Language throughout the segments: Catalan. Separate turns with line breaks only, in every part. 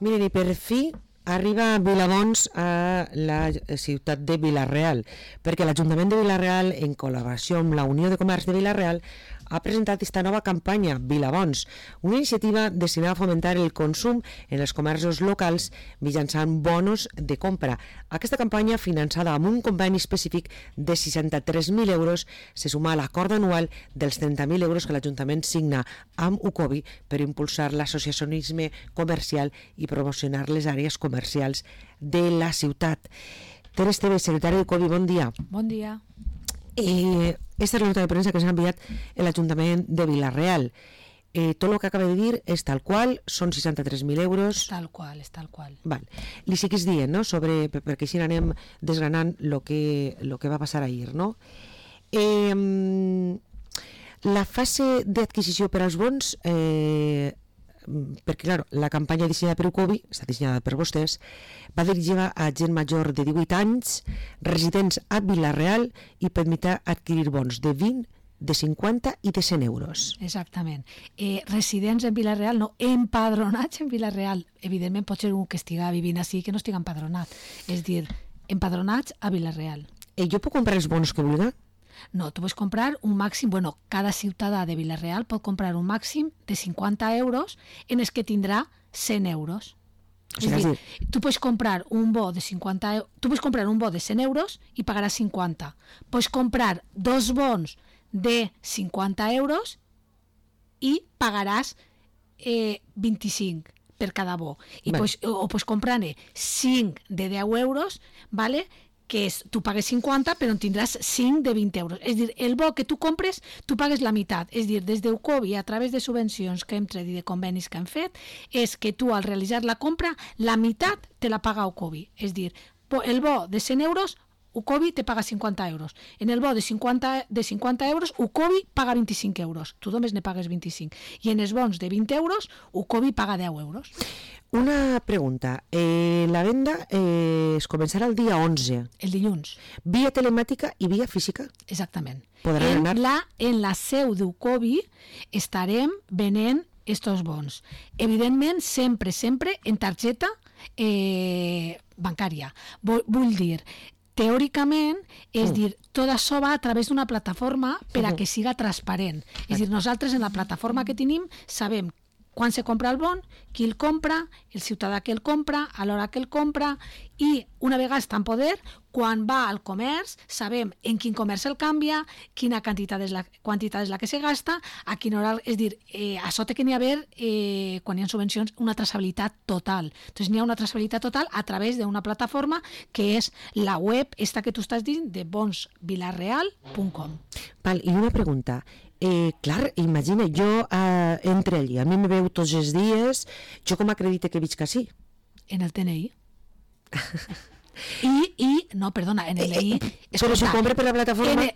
Miren, i per fi arriba Vilabons a la ciutat de Vila-real, perquè l'Ajuntament de Vila-real, en col·laboració amb la Unió de Comerç de Vila-real, ha presentat esta nova campanya Vilabons, una iniciativa destinada a fomentar el consum en els comerços locals mitjançant bonos de compra. Aquesta campanya, finançada amb un conveni específic de 63.000 euros, se suma a l'acord anual dels 30.000 euros que l'Ajuntament signa amb UCOBI per impulsar l'associacionisme comercial i promocionar les àrees comercials de la ciutat. Ter Esteve, secretari d'UCOBI, bon dia.
Bon dia.
Esta es la nota de prensa que s'ha enviat a l'Ajuntament de Vila-real. Tot el que acaba de dir és tal qual, són 63.000 euros.
És tal qual.
Val. Li siguis dient, no?, sobre, perquè així anem desgranant lo que va passar ahir, no? La fase d'adquisició per als bons, perquè, clar, la campanya dissenyada per UCOBI, està dissenyada per vostès, va dirigida a gent major de 18 anys, residents a Vila-real i permetrà adquirir bons de 20, de 50 i de 100 euros.
Exactament. Residents en Vila-real, no, empadronats en Vila-real. Evidentment pot ser un que estiga vivint així que no estiga empadronat. És dir, empadronats a Vila-real.
Jo puc comprar els bons que vulgui?
No, tu pots comprar un màxim, cada ciutadà de Vila-real pot comprar un màxim de 50 euros en els que tindrà 100 euros.
O sigui,
és dir, tu pots comprar un bo de 50 tu pots comprar un bo de 100 euros i pagaràs 50. Pots comprar dos bons de 50 euros i pagaràs 25 per cada bo. I pots comprar-ne 5 de 10 euros, ¿vale?, que és, tu pagues 50 però en tindràs 5 de 20 euros. És dir, el bo que tu compres, tu pagues la meitat. És dir, des d'UCOBI, a través de subvencions que hem tret i de convenis que hem fet, és que tu al realitzar la compra, la meitat te la paga UCOBI. És dir, el bo de 100 euros, UCOBI te paga 50 euros. En el bo de 50 euros, UCOBI paga 25 euros. Tu només ne pagues 25. I en els bons de 20 euros, UCOBI paga 10 euros.
Una pregunta. La venda es començarà el dia 11.
El dilluns.
Via telemàtica i via física?
Exactament.
Podran anar...
En la seu d'UCOBI estarem venent estos bons. Evidentment, sempre en targeta bancària. Vull dir, teòricament, és dir, tot això va a través d'una plataforma per a que siga transparent. És dir, nosaltres en la plataforma que tenim sabem quan se compra el bon, qui el compra, el ciutadà que el compra, a l'hora que el compra, i una vegada està en poder, quan va al comerç, sabem en quin comerç el canvia, quina quantitat és la que se gasta, a quina hora, és dir, això té que n'hi haver, quan hi ha subvencions, una traçabilitat total. Entonces n'hi ha una traçabilitat total a través d'una plataforma que és la web, esta que tu estàs dient, de bonsvilareal.com.
Val, i una pregunta. Clar, imagina, jo entre allí, a mi me veu tots els dies, jo com acredite que visc així?
En el TNI. No, perdona, en el DNI...
Però si compra per la plataforma...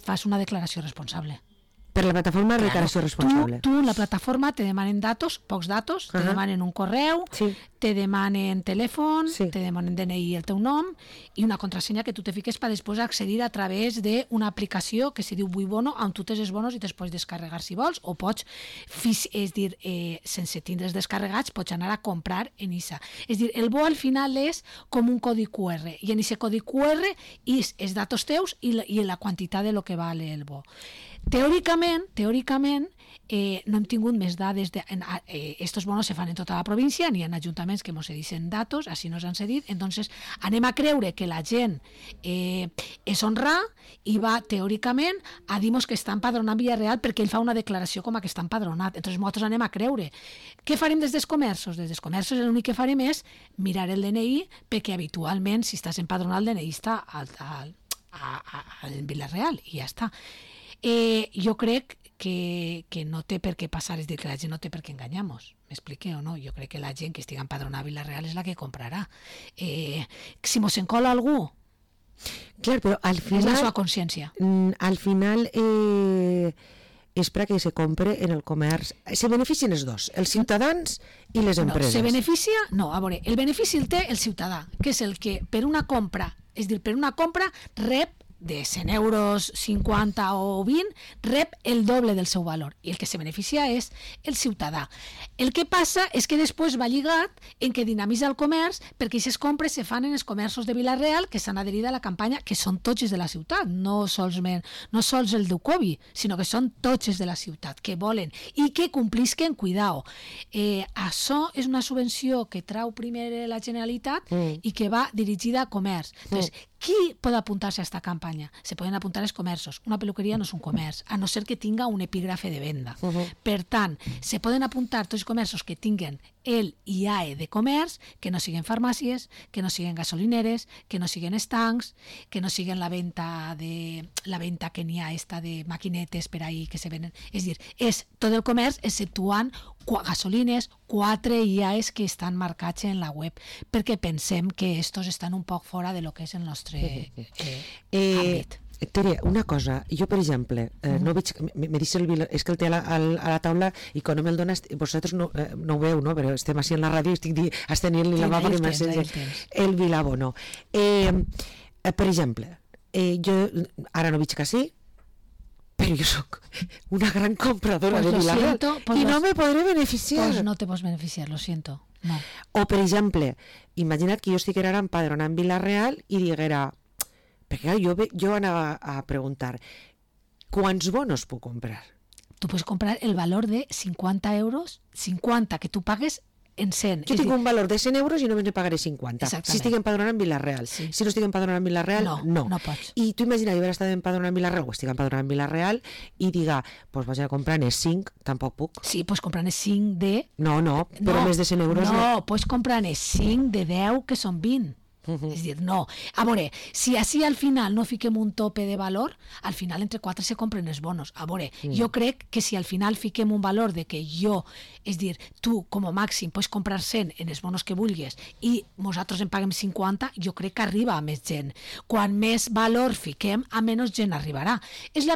Fas una declaració responsable.
Per la plataforma de declaració responsable.
Tu en la plataforma te demanen datos, pocs datos, te demanen un correu, te demanen telèfon, te demanen DNI, el teu nom, i una contrasenya que tu te fiques per després accedir a través d'una aplicació que se diu Vuibono, on tu tens els bonos i te'ls pots descarregar si vols, o pots, és dir, sense tindre's descarregats, pots anar a comprar en ISA. És dir, el bo al final és com un codi QR, i en aquest codi QR és els datos teus i la quantitat de lo que vale el bo. Teòricament, no hem tingut més dades. Estos bonos se fan en tota la província, n'hi ha ajuntaments que ens cedixen datos, així nos han cedit, entonces anem a creure que la gent és honra i va teòricament a dir-nos que està empadronat en Vila-real perquè ell fa una declaració com a que està empadronat. Entonces nosaltres anem a creure. Què farem des dels comerços? Des dels comerços l'únic que farem és mirar el DNI, perquè habitualment si estàs empadronat el DNI està en Vila-real i ja està. Jo crec que no té per què passar, és dir, que la gent no té per què enganyar-nos, m'explique o no? Jo crec que la gent que estigui empadronada a Vila-real és la que comprarà. Si mos encola algú,
clar, però al final,
és la seva consciència.
Al final és perquè se compre en el comerç. Se beneficien els dos, els ciutadans i les empreses.
Se beneficia? No, a veure, el benefici el té el ciutadà, que és el que per una compra, és dir, per una compra rep de 100 euros, 50 o 20, rep el doble del seu valor. I el que se beneficia és el ciutadà. El que passa és que després va lligat en que dinamitza el comerç, perquè aquestes compres se fan en els comerços de Vila-real que s'han adherit a la campanya, que són tots els de la ciutat, no sols el d'Ucovi, sinó que són tots els de la ciutat, que volen i que complisquen, cuidao. Això és una subvenció que trau primer la Generalitat i que va dirigida a comerç. Entonces, qui pot apuntar-se a aquesta campanya? Se poden apuntar els comerços. Una peluqueria no és un comerç, a no ser que tinga un epígrafe de venda. Per tant, se poden apuntar tots els comerços que tinguen el IAE de comerç, que no siguen farmàcies, que no siguen gasolineres, que no siguen estancs, que no siguen la venda que n'hi ha esta de maquinetes per ahí que se venen. És dir, és tot el comerç exceptuant gasolines, 4 IAEs que estan marcats en la web, perquè pensem que estos estan un poc fora de lo que és el nostre àmbit.
Tere, una cosa, jo per exemple, no veig, me dice és que el té a la taula i quan no me'l dones, vosaltres no ho veu, no? Però estem així en la ràdio i estic estenint-li la mà perquè m'encens el Vilabono. Per exemple, jo ara no veig que sí, però jo soc una gran compradora de Vila-real i no me podré beneficiar.
Pues no te pots beneficiar, lo siento. No.
O, per exemple, imagina't que jo estic ara empadronant Vila-real i diguera, perquè jo anava a preguntar, quants bonos puc comprar?
Tu pots comprar el valor de 50 euros, 50 que tu pagues en 100.
Jo tinc un valor de 100 euros i només ne pagaré 50.
Exactament.
Si estic empadronant Vila-real. Sí. Si no estic empadronant Vila-real, no.
No pots.
I tu imagina, jo haver estat empadronant Vila-real o estic empadronant Vila-real i diga, doncs vaig a comprar en 5, tampoc puc.
Sí, pots comprar en 5 de...
No, però més de 100 euros
no. Pots comprar en 5 de 10 que són 20. És dir, no. A veure, si així al final no fiquem un tope de valor, al final entre 4 se compren els bonos. A veure, jo crec que si al final fiquem un valor de que jo, és dir, tu com a màxim pots comprar 100 en els bonos que vulguis i nosaltres en paguem 50, jo crec que arriba a més gent. Quan més valor fiquem, a menys gent arribarà.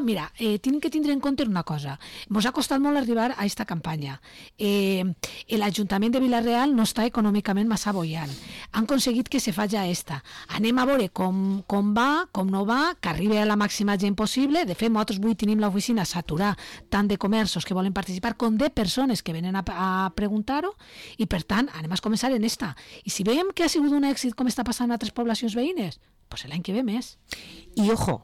Mira, tenim que tindre en compte una cosa. Ens ha costat molt arribar a aquesta campanya. L'Ajuntament de Vila-real no està econòmicament massa bollant. Han aconseguit que se faci esta. Anem a veure com va, com no va, que arribi a la màxima gent possible. De fet, nosaltres avui tenim l'oficina saturada tant de comerços que volen participar com de persones que venen a preguntar-ho i, per tant, anem a començar en esta. I si veiem que ha sigut un èxit com està passant a altres poblacions veïnes, doncs l'any que ve més.
I ojo,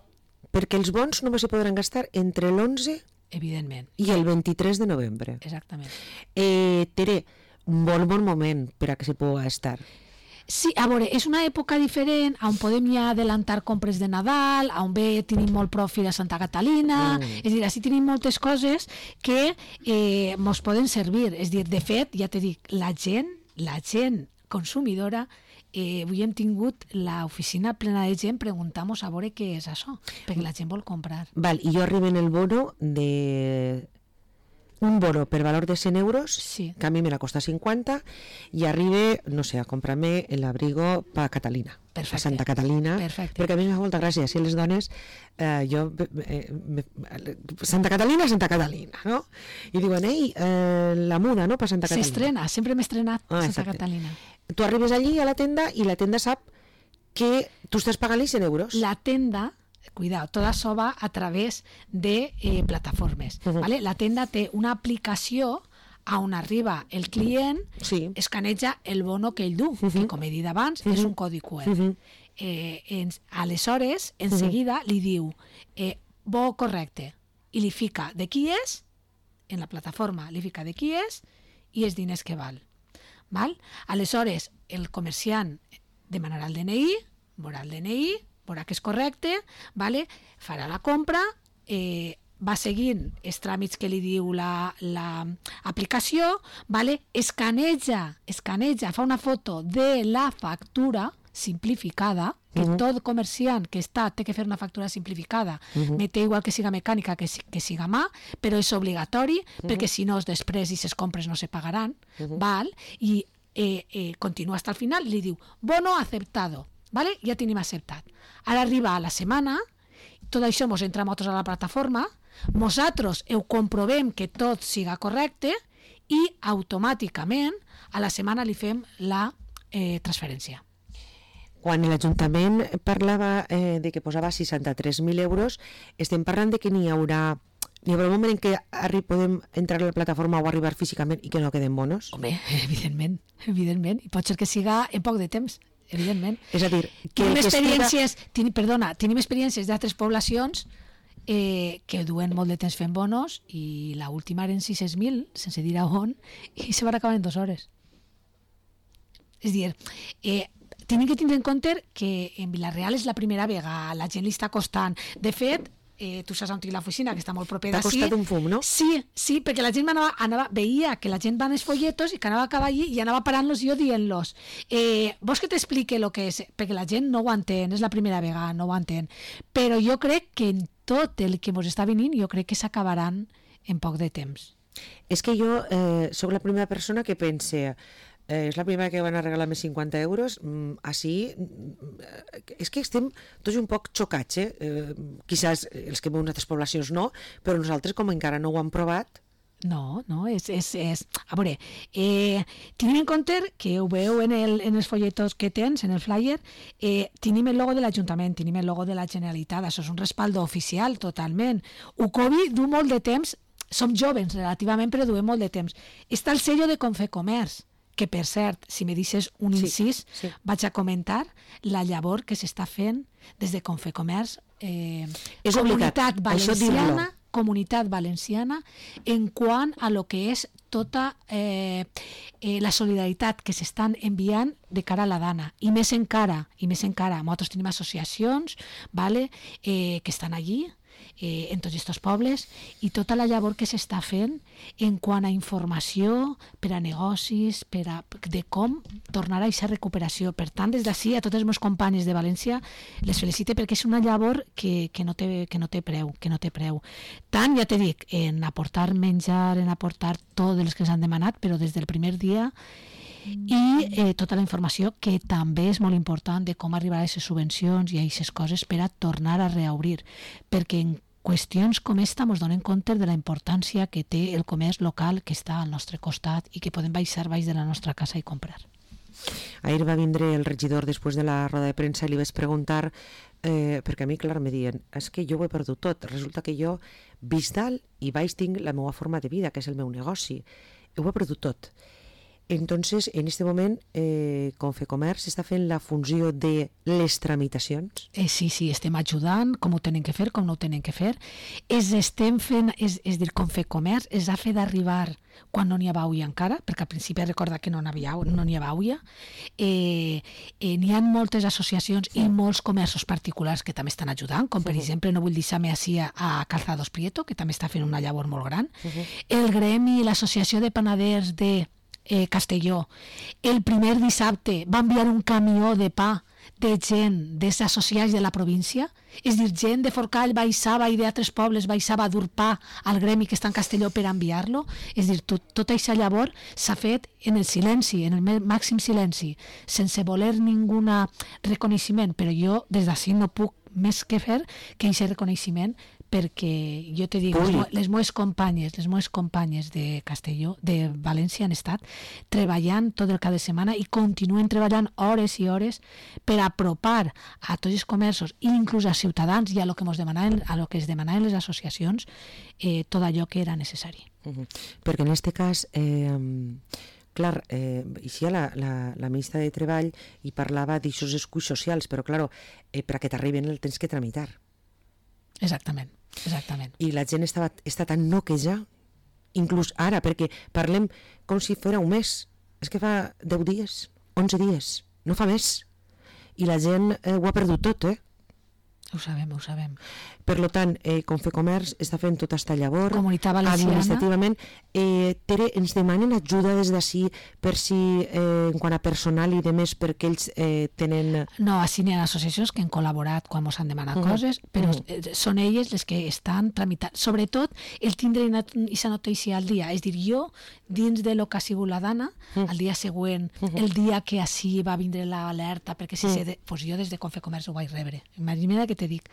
perquè els bons només se podran gastar entre l'11
evidentment
i el 23 de novembre.
Exactament.
Tere, un bon moment per a que se pugui gastar.
Sí, a veure, és una època diferent on podem ja adelantar compres de Nadal, on bé tenim molt profit a Santa Catalina, és dir, així tenim moltes coses que ens poden servir. És dir, de fet, ja t'he dit, la gent consumidora, avui hem tingut l'oficina plena de gent preguntant-nos a veure què és això, perquè la gent vol comprar.
Val, i jo arribo en el bono de... un bono per valor de 100 euros,
sí,
que a mi me la costa 50, i arribe, no sé, a comprar-me l'abrigo per Catalina,
perfecte,
a Santa Catalina,
perfecte,
perquè a mi m'ha molta gràcia, si les dones, Santa Catalina, no? I diuen, ei, la muda, no?, per Santa Catalina.
S'estrena, sempre m'he estrenat Santa
exacte.
Catalina.
Tu arribes allí a la tenda i la tenda sap que tu estàs pagant-li 100 euros.
La tenda... Cuidado, tot això va a través de plataformes. ¿Vale? La tenda té una aplicació on arriba el client,
sí,
escaneja el bono que ell du, que com he dit abans és un codi QR. Aleshores, en seguida li diu bo correcte, i li fica de qui és, en la plataforma li fica de qui és i els diners que val. Aleshores, el comerciant demanarà el DNI, veurà el DNI, veurà que és correcte, farà la compra, va seguint els tràmits que li diu l'aplicació, escaneja, fa una foto de la factura simplificada, que tot comerciant que té que fer una factura simplificada, me té igual que siga mecànica que siga mà, però és obligatori, perquè si no després i les compres no se pagaran, i continua fins al final, li diu bono aceptado, ja tenim acceptat. Ara arriba a la setmana, tot això ens entra a la plataforma, nosaltres ho comprovem que tot siga correcte i automàticament a la setmana li fem la transferència.
Quan l'Ajuntament parlava de que posava 63.000 euros, estem parlant de que n'hi haurà un moment en què podem entrar a la plataforma o arribar físicament i que no queden bonos?
Home, evidentment. I pot ser que siga en poc de temps, evidentment.
És a dir,
tenim experiències d'altres poblacions que duen molt de temps fent bonos i l'última eren 600.000, sense dir a on, i se van acabar en 2 hores. És a dir, tenim que tindre en compte que en Vila-real és la primera vegada, la gent li està costant. De fet, tu saps on tinc l'oficina, que està molt propera
d'ací. T'ha costat un fum, no?
Sí, perquè la gent veia que la gent va als folletos i que anava a acabar allí i anava parant-los i jo dient-los. Vols que t'explique el que és? Perquè la gent no ho entén, és la primera vegada, no ho entén. Però jo crec que en tot el que ens està venint, jo crec que s'acabaran en poc de temps.
És que jo sóc la primera persona que pense... és la primera que van a regalar més 50 euros, així, és que estem tots un poc xocats, quizás els que veuen altres poblacions no, però nosaltres com encara no ho hem provat.
No, és... A veure, tenim en compte que ho veu en els folletos que tens, en el flyer, tenim el logo de l'Ajuntament, tenim el logo de la Generalitat, això és un respaldo oficial totalment. Ucovi du molt de temps, som joves relativament, però duem molt de temps. Està el sello de Confecomerç, que per cert, si me deixes un incís, vaig a comentar la llavor que s'està fent des de Confecomerç, Comunitat Valenciana, en quant a lo que és tota la solidaritat que s'estan enviant de cara a la dana, i més encara, nosaltres tenim associacions que estan allí, en tots aquests pobles, i tota la llavor que s'està fent en quant a informació per a negocis, de com tornar a aquesta recuperació. Per tant, des d'ací, a totes les meves companyes de València, les felicite perquè és una llavor que no té preu. Tant, ja te dic, en aportar menjar, en aportar tot els que ens han demanat, però des del primer dia, i tota la informació que també és molt important de com arribar a aquestes subvencions i a aquestes coses per a tornar a reobrir, perquè en qüestions com esta ens donem compte de la importància que té el comerç local que està al nostre costat i que podem baixar baix de la nostra casa i comprar.
Ahir va vindre el regidor després de la roda de premsa i li vaig preguntar, perquè a mi, clar, me diuen, és que jo ho he perdut tot, resulta que jo vist dalt i baix tinc la meva forma de vida, que és el meu negoci, ho he perdut tot. Entonces, en este moment, Confecomerç està fent la funció de les tramitacions?
Sí, estem ajudant, com ho tenen que fer, com no ho tenen que fer. Estem fent, és dir, Confecomerç es ha fet d'arribar quan no n'hi havia auia encara, perquè al principi recorda que no n'hi havia auia. N'hi ha moltes associacions i molts comerços particulars que també estan ajudant, com per exemple, no vull deixar-me així a Calzados Prieto, que també està fent una llavor molt gran. El gremi, l'Associació de Panaders de Castelló, el primer dissabte va enviar un camió de pa de gent dels associats de la província, és dir, gent de Forcall baixava i d'altres pobles baixava a dur pa al gremi que està en Castelló per enviar-lo, és dir, tota aquesta llavor s'ha fet en el silenci, en el màxim silenci, sense voler ningú reconeixement, però jo des d'ací no puc més que fer que aquest reconeixement, perquè jo te dic, les meves companyes de Castelló, de València, han estat treballant tot el cap de setmana i continuen treballant hores i hores per apropar a tots els comerços i inclús als ciutadans i a lo que es demanaven les associacions tot allò que era necessari.
Perquè en aquest cas, clar, així la ministra de Treball hi parlava d'aixòs esculls socials, però clar, per a que t'arriben el tens que tramitar.
Exactament.
I la gent està tan noqueja, inclús ara, perquè parlem com si fos un mes. És que fa 10 dies, 11 dies, no fa més. I la gent ho ha perdut tot,
Ho sabem.
Per tant, Confecomerç està fent tota aquesta llavor.
Comunitat Valenciana.
Administrativament. Tere, ens demanen ajuda des d'ací per si, en quant a personal i demés, perquè ells tenen...
No, així n'hi ha associacions que han col·laborat quan ens han demanat coses, però són elles les que estan tramitant. Sobretot, el tindre aquesta notícia al dia. És dir, jo, dins de lo que ha sigut la dana, al dia següent, el dia que així va vindre l'alerta, perquè jo des de Confecomerç ho vaig rebre. Imagina't que te dic.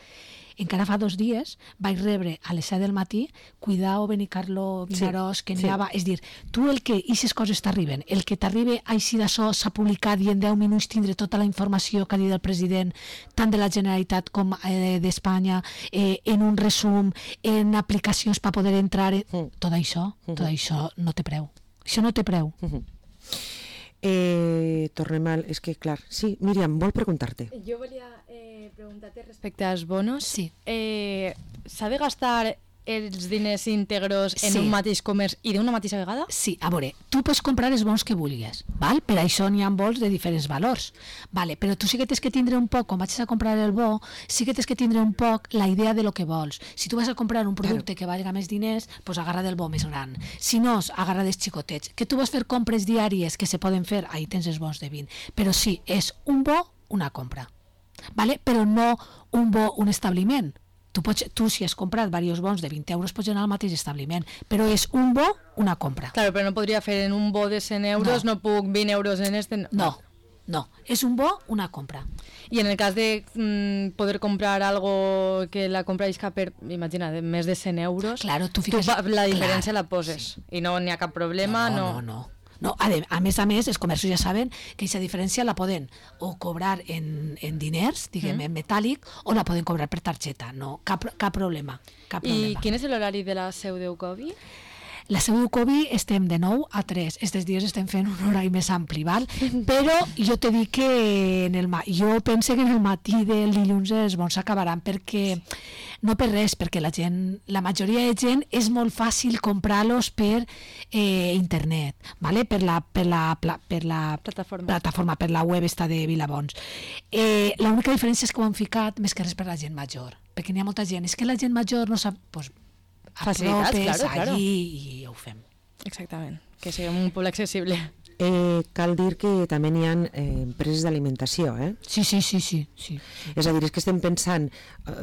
encara fa 2 dies vaig rebre a les 7 del matí, cuidao Benicarló, Vinaròs, que n'hi havia, és dir, tu el que aquestes coses t'arriben, el que t'arriba així d'això s'ha publicat i en 10 minuts tindre tota la informació que ha dit el president, tant de la Generalitat com d'Espanya, en un resum, en aplicacions per poder entrar, tot això no té preu. Això no té preu.
Tornem al... És que, clar... Sí, Míriam, vol preguntar-te.
Jo volia preguntar-te respecte als bonos.
Sí.
S'ha de gastar els diners íntegros en un mateix comerç i d'una mateixa vegada?
Sí, a veure, tu pots comprar els bons que vulguis, val? Per això n'hi ha vols de diferents valors, vale? Però tu sí que tens que tindre un poc, quan vagis a comprar el bo, sí que tens que tindre un poc la idea de lo que vols. Si tu vas a comprar un producte que valga més diners, doncs agarra del bo més gran. Si no, agarra dels xicotets. Que tu vas fer compres diàries que se poden fer, ahí tens els bons de 20. Però sí, és un bo, una compra, vale? Però no un bo, un establiment. Tu, si has comprat diversos bons de 20 euros, pots anar al mateix establiment, però és un bo, una compra.
Claro, però no podria fer en un bo de 100 euros, no puc 20 euros en este...
No, és un bo, una compra.
I en el cas de poder comprar algo que la compra isca per, imagina, de més de 100 euros,
claro, tu
la diferència la poses i no n'hi ha cap problema.
No, a més, els comerços ja saben que aquesta diferència la poden o cobrar en diners, diguem, en metàl·lic, o la poden cobrar per targeta. No, cap problema.
I quin és l'horari de la seu d'Eucovi?
La seu d'Eucovi estem de 9 a 3. Estes dies estem fent un horari més ampli, val? Però jo te dic que jo penso que en el matí del dilluns els bons s'acabaran, perquè no per res, perquè la majoria de gent és molt fàcil comprar-los per internet, vale? per la plataforma, per la web esta de Vilabons. L'única diferència és que ho han ficat més que res per la gent major, perquè n'hi ha molta gent. És que la gent major no sap...
Facilitats, claro.
I ho fem.
Exactament, que siguem un poble accessible.
Cal dir que també n'hi ha empreses d'alimentació,
Sí.
És a dir, és que estem pensant,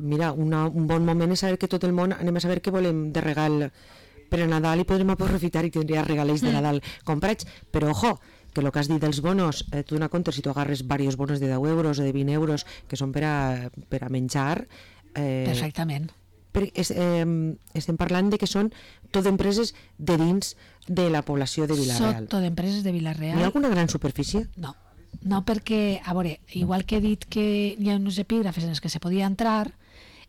mira, un bon moment és saber que tot el món anem a saber què volem de regal per a Nadal i podrem aprofitar i tindria regalets de Nadal comprats, però ojo, que el que has dit dels bonos, tu dona compte si tu agarres diversos bonos de 10 euros o de 20 euros que són per a menjar...
Perfectament.
Estem parlant de que són tot empreses de dins de la població de Vila-real.
Són tot empreses de Vila-real.
Hi ha alguna gran superfície?
No, perquè, a veure, igual que he dit que hi ha uns epígrafes en els que se podia entrar,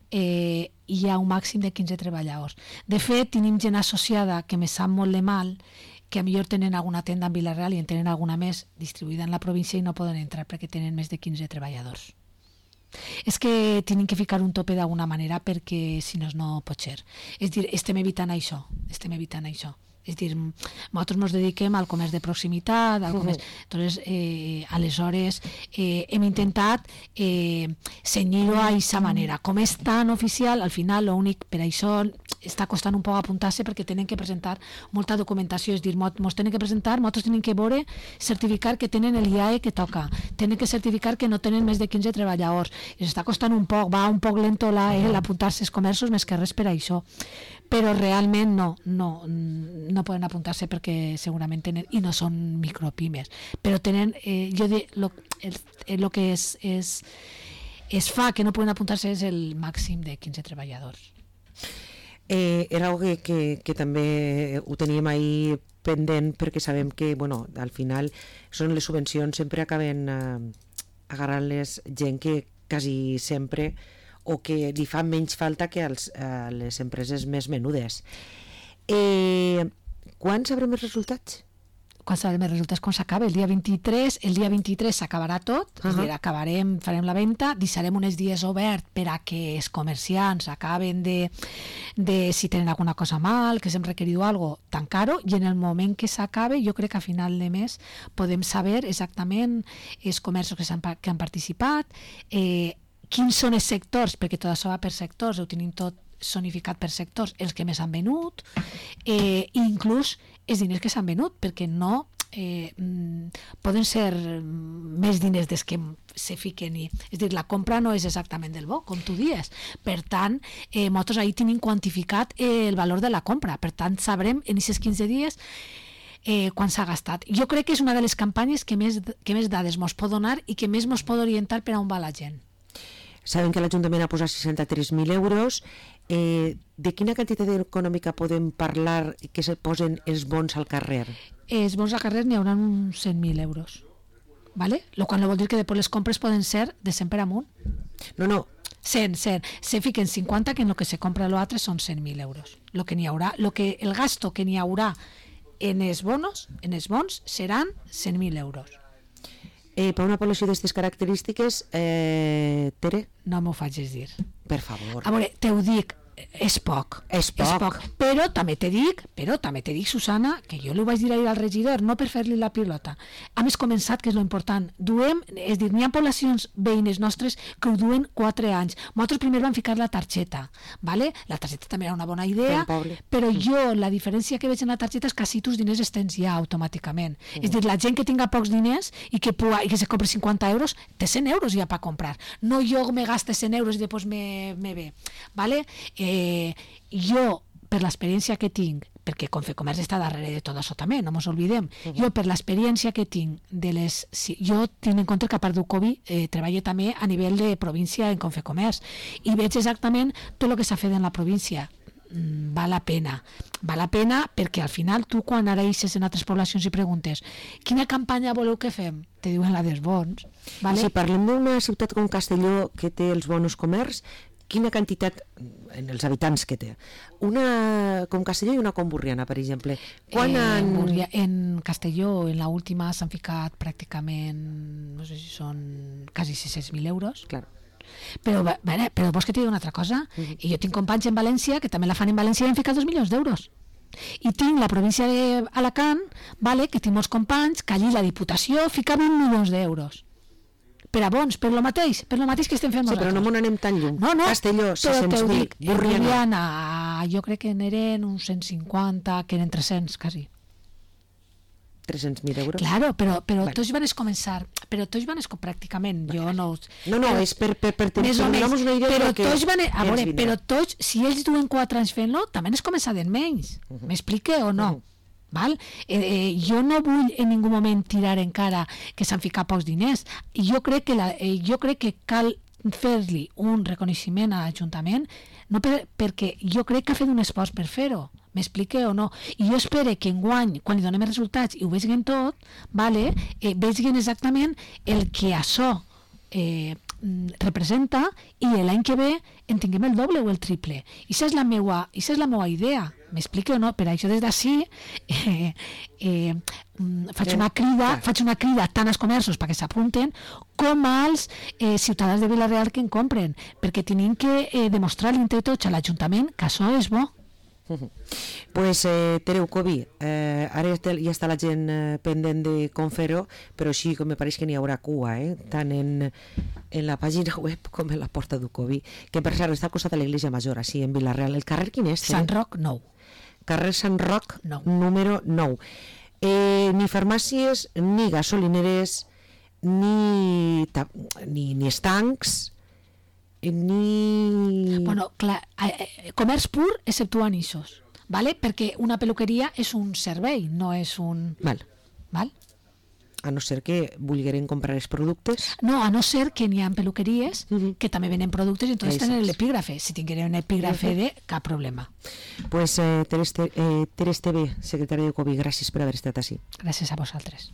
hi ha un màxim de 15 treballadors. De fet, tenim gent associada que me sap molt de mal, que a millor tenen alguna tenda en Vila-real i en tenen alguna més distribuïda en la província i no poden entrar perquè tenen més de 15 treballadors. És que tenen que ficar un tope d'alguna manera perquè si no pot ser. És dir, estem evitant això. És dir, nosaltres ens dediquem al comerç de proximitat, al comerç... Entonces, aleshores, hem intentat cenyir-ho a aquesta manera. Com és tan oficial, al final, l'únic, per això està costant un poc apuntar-se perquè tenen que presentar molta documentació, és dir, ens tenen que presentar, nosaltres tenen que veure, certificar que tenen el IAE que toca, tenen que certificar que no tenen més de 15 treballadors, i s'està costant un poc, va un poc lento l'apuntar-se als comerços més que res per això, però realment no poden apuntar-se perquè segurament tenen, i no són micropimes, però tenen, el que es fa que no poden apuntar-se és el màxim de 15 treballadors.
Era algo que també ho teníem ahir pendent perquè sabem que al final són les subvencions, sempre acaben agarrant-les gent que quasi sempre o que li fa menys falta que a les empreses més menudes. Quan sabrem els resultats?
Quan sabrem els resultats? Quan s'acaba? El dia 23 s'acabarà tot, és dir, farem la venda, deixarem uns dies obert per a que els comerciants acaben de si tenen alguna cosa mal, que s'hem requerit alguna cosa, tancar-ho, i en el moment que s'acabe, jo crec que a final de mes podem saber exactament els comerços que han participat, quins són els sectors, perquè tot això va per sectors, ho tenim tot zonificat per sectors, els que més han venut, i inclús els diners que s'han venut, perquè no poden ser més diners des que se fiquen. És dir, la compra no és exactament del bo, com tu dies. Per tant, nosaltres ahir tenim quantificat el valor de la compra. Per tant, sabrem en aquests 15 dies quan s'ha gastat. Jo crec que és una de les campanyes que més dades ens pot donar i que més ens pot orientar per a on va la gent.
Sabem que l'Ajuntament ha posat 63.000 euros. De quina quantitat econòmica podem parlar que se posen els bons al carrer?
Els bons al carrer n'hi haurà uns 100.000 euros. ¿Vale? Lo cual no vol dir que després les compres poden ser de 100 per amunt.
No.
100. Se fiquen 50, que en lo que se compra lo altre són 100.000 euros. El gasto que n'hi haurà en els bons, seran 100.000 euros.
Per una població d'aquestes característiques, Tere?
No m'ho facis dir.
Per favor.
A veure, te ho dic, és poc. Però també te dic, Susana, que jo li vaig dir ahir al regidor, no per fer-li la pilota. Hem començat, que és lo important. N'hi ha poblacions veïnes nostres que ho duen 4 anys. Nosaltres primer vam ficar la targeta, ¿vale? La targeta també era una bona idea, però jo la diferència que veig en la targeta és que així tus diners els tens ja automàticament. És dir, la gent que tinga pocs diners i que se compri 50 euros, té 100 euros ja per comprar. No jo me gaste 100 euros i després me ve, ¿vale? Jo, per l'experiència que tinc, perquè Confecomerç està darrere de tot això també, no ens oblidem, jo per l'experiència que tinc jo tinc en compte que a part d'Ucovi treballo també a nivell de província en Confecomerç i veig exactament tot el que s'ha fet en la província. Val la pena perquè al final tu quan ara eixes en altres poblacions i preguntes quina campanya voleu que fem? Te diuen la dels bons, ¿vale?
Si parlem d'una ciutat com Castelló que té els bons comerç, quina quantitat en els habitants que té? Una com Castelló i una com Borriana, per exemple.
En Castelló, en l'última, s'han ficat pràcticament, no sé si són quasi 600.000 euros.
Clar.
Però vols que t'hi digui una altra cosa? I jo tinc companys en València que també la fan en València i han ficat 2 milions d'euros. I tinc la província d'Alacant, que tinc molts companys, que allí la Diputació fica 20 milions d'euros. Per a bons, per lo mateix que estem fent nosaltres.
Sí, però no m'ho anem tan lluny.
No,
Castelló, 600.000,
Borriana, jo crec que n'eren uns 150, que eren 300, quasi.
300.000 euros?
Claro, però tots van començar, pràcticament, jo no...
No, és per donar-nos una idea del que
però tots, si ells duen 4 anys fent-lo, també es començaven menys. M'explique o no? Val? Jo no vull en ningú moment tirar encara que s'han ficat pocs diners. Jo crec que cal fer-li un reconeixement a l'Ajuntament, no perquè jo crec que ha fet un esforç per fer-ho. M'explique o no? I jo espero que enguany, quan li donem els resultats i ho vegin tot, vegin exactament el que això representa i l'any que ve en tinguem el doble o el triple. I això és la meua idea. M'explique o no? Per això des d'ací faig una crida tant als comerços perquè s'apunten com als ciutadans de Vila-real que en compren, perquè tenim que demostrar entre tots a l'Ajuntament que això és bo.
Pues Tere Ucovi, ara ja està la gent pendent de com fer-ho, però sí que me pareix que n'hi haurà cua, tant en la pàgina web com en la porta d'Ucovi, que per cert està al costat de l'Església Major, així en Vila-real. El carrer quin és?
Sant Roc 9.
Carrer Sant Roc número 9. Ni farmàcies, ni gasolineres, ni estancs, ni...
Bueno, clar, comerç pur exceptuant ixos, ¿vale? Perquè una peluqueria és un servei, no és un...
Val. A no ser que vulgueren comprar els productes.
No, a no ser que n'hi ha peluqueries que també venen productes i entonces tenen l'epígrafe. Si tingueren un epígrafe cap problema.
Pues Tere Esteve, secretària de Ucovi, gràcies per haver estat així.
Gràcies a vosaltres.